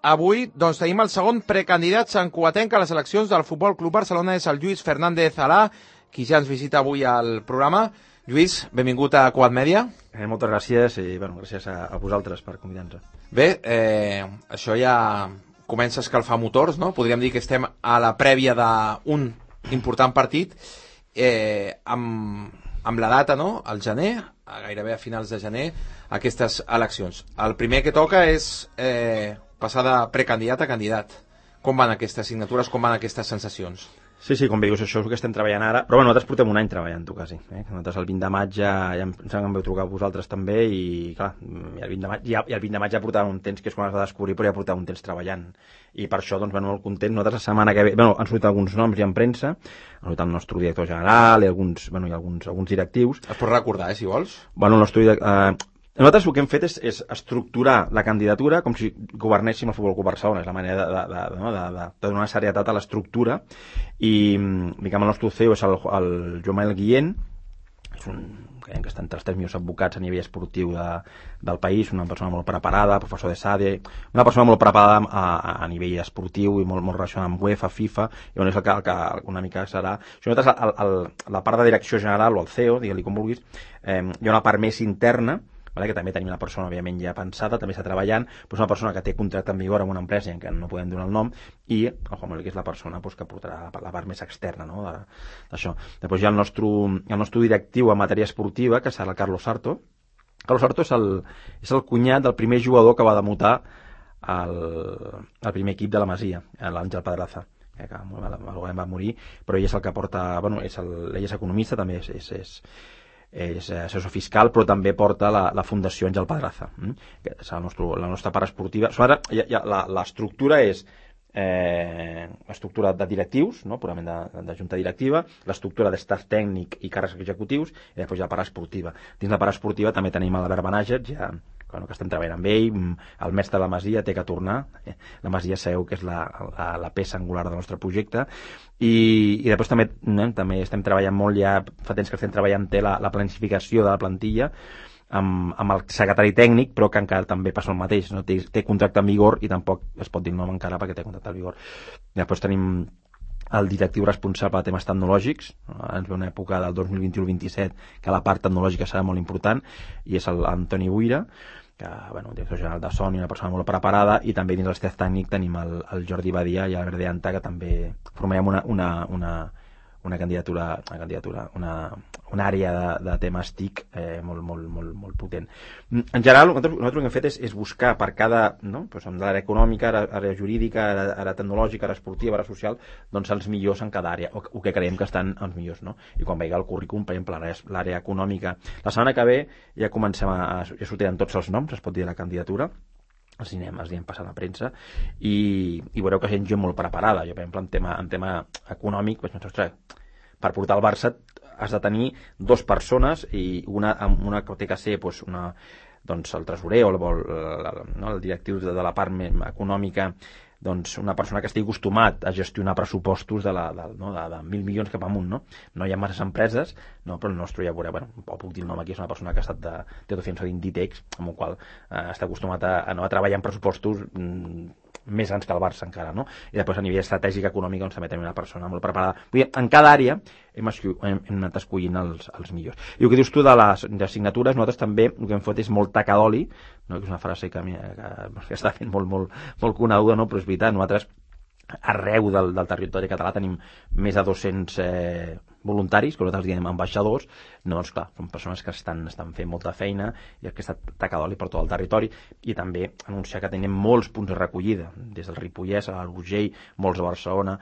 Avui tenim el segon precandidat santcugatenc a les eleccions del Futbol Club Barcelona, és el Lluís Fernández Alà, qui ja ens visita avui al programa. Lluís, benvingut a Cugat Mèdia. Moltes gràcies i gràcies a vosaltres per convidar-nos. Bé, això ja comença a escalfar motors, no? Podríem dir que estem a la prèvia d'un important partit amb la data, no? Al gener, gairebé a finals de gener, aquestes eleccions. El primer que toca és passar de precandidat a candidat. Com van aquestes signatures, com van aquestes sensacions? Sí, com bé dius, això és el que estem treballant ara, però nosaltres portem un any treballant-ho quasi. Nosaltres el 20 de maig ja em vau trucar a vosaltres també i clar, el 20 de maig ja portàvem un temps, que és quan es va descobrir, però ja portàvem un temps treballant. I per això, molt contents. Nosaltres la setmana que ve, han sortit alguns noms ja en premsa, ha sortit el nostre director general i alguns directius. Es pot recordar, si vols? Nosaltres el que hem fet és estructurar la candidatura com si governéssim el Futbol Club Barcelona. És la manera de donar serietat a l'estructura. I el nostre CEO és el Joan Manuel Guillén, creiem que està entre els 3 millors advocats a nivell esportiu del país, una persona molt preparada, professor de SADE, una persona molt preparada a nivell esportiu i molt relacionada amb UEFA, FIFA, i és el que una mica serà. Nosaltres, la part de direcció general, o el CEO, digue-li com vulguis, hi ha una part més interna, que també tenim una persona, òbviament, ja pensada, també està treballant, una persona que té contracte en vigor amb una empresa en què no podem donar el nom, i el Juan Manuel, que és la persona que portarà la part més externa d'això. Després hi ha el nostre directiu en matèria esportiva, que serà el Carlos Sarto. Carlos Sarto és el cunyat del primer jugador que va debutar al primer equip de la Masia, l'Àngel Pedraza, que va morir, però ell és el que porta, ell és economista, també és assessor fiscal, però també porta la Fundació Àngel Pedraza, que és la nostra part esportiva. L'estructura és l'estructura de directius, purament de junta directiva, l'estructura d'estat tècnic i càrrecs executius, i després hi ha la part esportiva. Dins la part esportiva també tenim l'Albert Benàger, que estem treballant amb ell, el mestre de la Masia té que tornar, la Masia sabeu que és la peça angular del nostre projecte, i després també estem treballant molt, ja fa temps que estem treballant la planificació de la plantilla amb el secretari tècnic, però que encara també passa el mateix, no? Té contracte en vigor i tampoc es pot dir nom encara perquè té contracte en vigor. Després tenim el directiu responsable de temes tecnològics, ens ve una època del 2021-27 que la part tecnològica serà molt important, i és l'Antoni Buira, que, director general de Sony, una persona molt preparada, i també dins l'estaf tècnic tenim el Jordi Badia i l'Albert de Anta, que també formarem una candidatura, una àrea de temes TIC molt potent. En general, nosaltres el que hem fet és buscar per cada, amb l'àrea econòmica, àrea jurídica, àrea tecnològica, àrea esportiva, àrea social, els millors en cada àrea, o que creiem que estan els millors, no? I quan veiga el currículum, per exemple, l'àrea econòmica, la setmana que ve ja comencem ja sortiran tots els noms, es pot dir, de la candidatura, els anirem passant a premsa, i veureu que hi ha gent molt preparada. Jo, per exemple, en tema econòmic, per portar el Barça has de tenir 2 persones, i una que té que ser el tresorer o el directiu de la part econòmica, una persona que estigui acostumat a gestionar pressupostos de 1.000 milions cap amunt, no hi ha masses empreses, però el nostre, ja veureu, puc dir el nom aquí, és una persona que ha estat té docència d'Inditex, amb el qual està acostumat a treballar en pressupostos més grans que el Barça encara, no? I després a nivell estratègic econòmic també tenim una persona molt preparada. Vull dir, en cada àrea hem anat escollint els millors. I el que dius tu de les signatures, nosaltres també el que hem fet és molt taca d'oli, que és una frase que està fent molt coneguda, però és veritat, nosaltres arreu del territori català tenim més de 200 voluntaris, que nosaltres diem ambaixadors, clar, són persones que estan fent molta feina i aquesta taca d'oli per tot el territori, i també anunciar que tenim molts punts de recollida, des del Ripollès a l'Urgell, molts a Barcelona,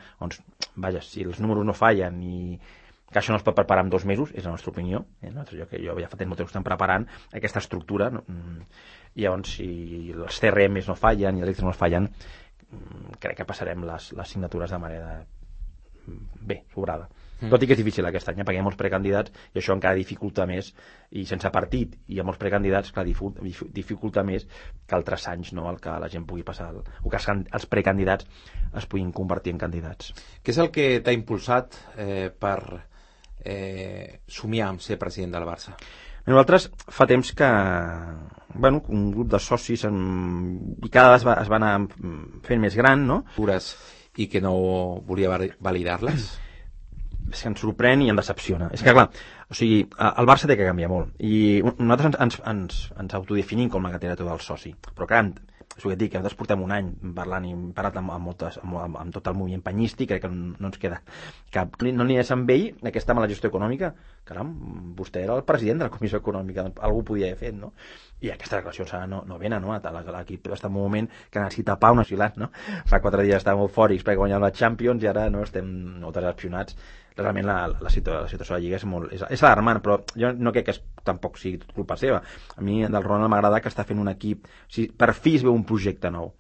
si els números no fallen i que això no es pot preparar en 2 mesos, és la nostra opinió, jo ja fa temps que estem preparant aquesta estructura, i llavors si els CRMs no fallen i els extras no fallen, crec que passarem les signatures de manera sobrada. Tot i que és difícil aquest any, perquè hi ha molts precandidats i això encara dificulta més, i sense partit i amb molts precandidats, clar, dificulta més que altres anys, el que la gent pugui passar, o que els precandidats es puguin convertir en candidats. Què és el que t'ha impulsat per somiar amb ser president del Barça? Nosaltres fa temps que un grup de socis i cada vegada es va anar fent més gran, no? I que no volia validar-les? És que ens sorprèn i ens decepciona. És que, clar, o sigui, el Barça té que canviar molt. I nosaltres ens autodefinim com la gatera tot el soci. Però, clar, és el que et dic, que nosaltres portem un any parlant i hem parlat amb tot el moviment penyístic, crec que no ens queda cap. No n'hi és amb ell aquesta mala gestió econòmica. Caram, vostè era el president de la Comissió Econòmica, algú podia haver fet, no? I aquestes declaracions no venen, no? L'equip està en un moment que necessita pau nacional, no? Fa 4 dies estàvem eufòrics perquè guanyàvem la Champions i ara no estem molt decepcionats. Realment la situació de la Lliga és alarmant, però jo no crec que tampoc sigui tot culpa seva. A mi del Ronald m'agrada que està fent un equip, per fi es veu un projecte nou.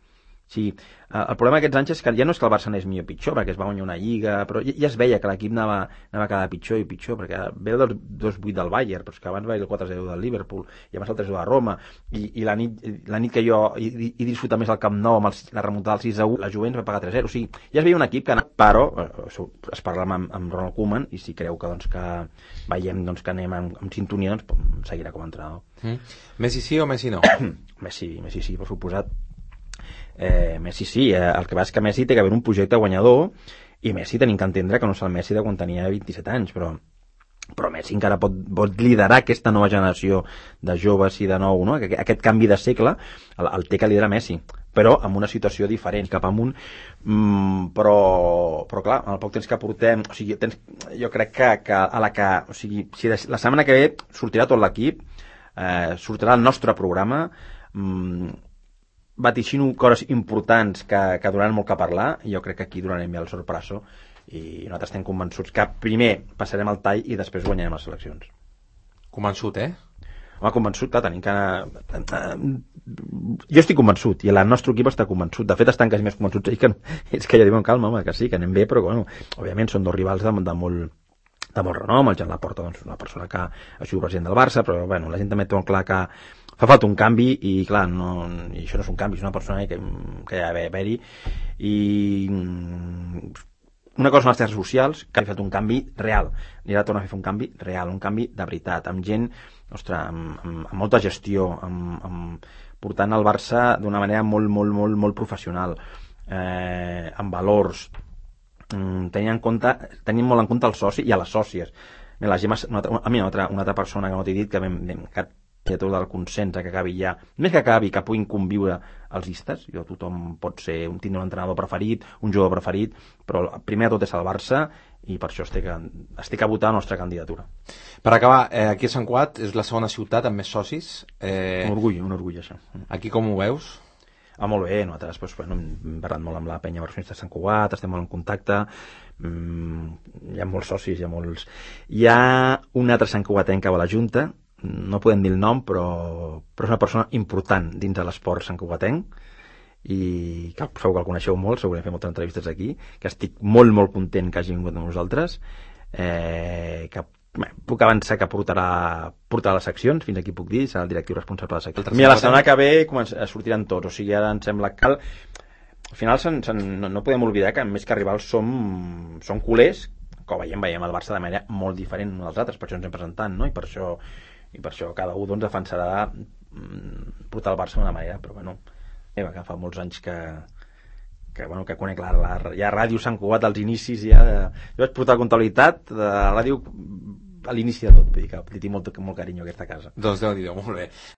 Sí, el problema d'aquests anys és que ja no és que el Barça anés millor o pitjor, perquè es va guanyar una Lliga, però ja es veia que l'equip anava cada pitjor i pitjor, perquè ve el 2-8 del Bayern, però és que abans va ir el 4-0 del Liverpool, i abans el 3-0 de Roma, i la nit que jo he disfrutat més al Camp Nou amb la remuntada del 6-1, la Juventus va pagar 3-0, o sigui, ja es veia un equip que anava, però es parla amb Ronald Koeman, i si creu que veiem que anem en sintonia, doncs seguirà com a entrenador. Messi sí o Messi no? Messi sí, per suposat. Messi sí, el que va és que Messi té que haver un projecte guanyador i Messi tenim que entendre que no és el Messi de quan tenia 27 anys, però Messi encara pot liderar aquesta nova generació de joves i de nou, no? Aquest canvi de segle el té que liderar Messi, però amb una situació diferent cap amunt, però clar, en el poc temps que portem, o sigui, jo crec que o sigui, si la setmana que ve sortirà tot l'equip, sortirà el nostre programa, vaticino coses importants que donaran molt que parlar, i jo crec que aquí donarem bé el sorpreso, i nosaltres estem convençuts que primer passarem el tall i després guanyarem les eleccions. Convençut, Home, convençut, clar, tenim que jo estic convençut, i el nostre equip està convençut. De fet, estan quasi més convençuts ells és que ja diuen, calma, home, que sí, que anem bé, però bueno, òbviament són dos rivals de molt renom. El Jan Laporta, doncs, una persona que ha sigut president del Barça, però bueno, la gent també té molt clar que fa falta un canvi, i clar, i això no és un canvi, és una persona que hi ha d'haver-hi, i una cosa són les xarxes socials, que ha fet un canvi real, i ara torna a fer un canvi real, un canvi de veritat, amb gent, ostres, amb molta gestió, portant el Barça d'una manera molt professional, amb valors, tenint molt en compte el soci i a les sòcies. La Gemma, una altra persona que no t'he dit, que tot del consens que acabi ja, més que acabi, que puguin conviure els llistes. Tothom pot tindre un entrenador preferit, un jugador preferit, però primer de tot és el Barça, i per això estic a votar la nostra candidatura. Per acabar, aquí a Sant Cugat és la segona ciutat amb més socis. Un orgull això. Aquí com ho veus? Molt bé, nosaltres hem parlat molt amb la penya versionista de Sant Cugat, estem molt en contacte, hi ha molts socis, hi ha un altre santcugatenc que va a la Junta, no podem dir el nom, però és una persona important dins de l'esport santcugatenc, i que segur que el coneixeu molt, segurament fem moltes entrevistes aquí, que estic molt content que hagi vingut amb nosaltres, que puc avançar que portarà les seccions, fins aquí puc dir, serà el directiu responsable de les seccions. Mira, la setmana que ve sortiran tots, o sigui, ara em sembla que al final no podem oblidar que més que rivals som culers, que ho veiem el Barça de manera molt diferent dels altres, per això ens hem presentat, no? I per això cada un defensarà portar el Barça d'una manera, però bueno, que fa molts anys que conec ja Ràdio Sant Cugat als inicis, jo vaig portar comptabilitat de la ràdio a l'inici de tot, vull dir que li tinc molt carinyo a aquesta casa. Doncs Déu-n'hi-do, molt bé.